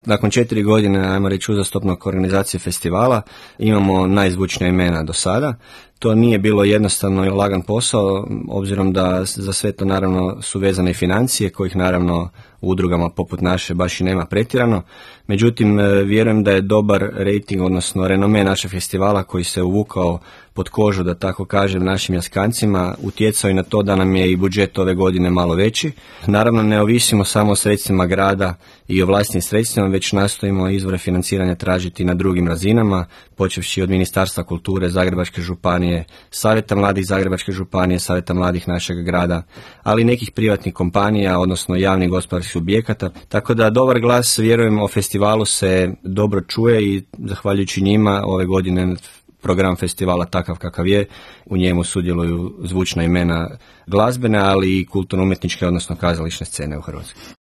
Nakon 4 godine, ajmo reći, uzastopnog organizacije festivala, imamo najzvučnija imena do sada. To nije bilo jednostavno i lagan posao, obzirom da za sve to naravno su vezane i financije, kojih naravno u udrugama poput naše baš i nema pretjerano. Međutim, vjerujem da je dobar rejting, odnosno renome našeg festivala koji se uvukao pod kožu, da tako kažem, našim jaskancima, utjecao i na to da nam je i budžet ove godine malo veći. Naravno, ne ovisimo samo o sredstvima grada i o vlastitim sredstvima, već nastojimo izvore financiranja tražiti na drugim razinama, počevši od Ministarstva kulture Zagrebačke županije, Savjeta mladih Zagrebačke županije, Savjeta mladih našeg grada, ali i nekih privatnih kompanija, odnosno javnih gospodarskih subjekata. Tako da dobar glas, vjerujem, o festivalu se dobro čuje i zahvaljujući njima ove godine program festivala takav kakav je, u njemu sudjeluju zvučna imena glazbene, ali i kulturno-umjetničke, odnosno kazališne scene u Hrvatskoj.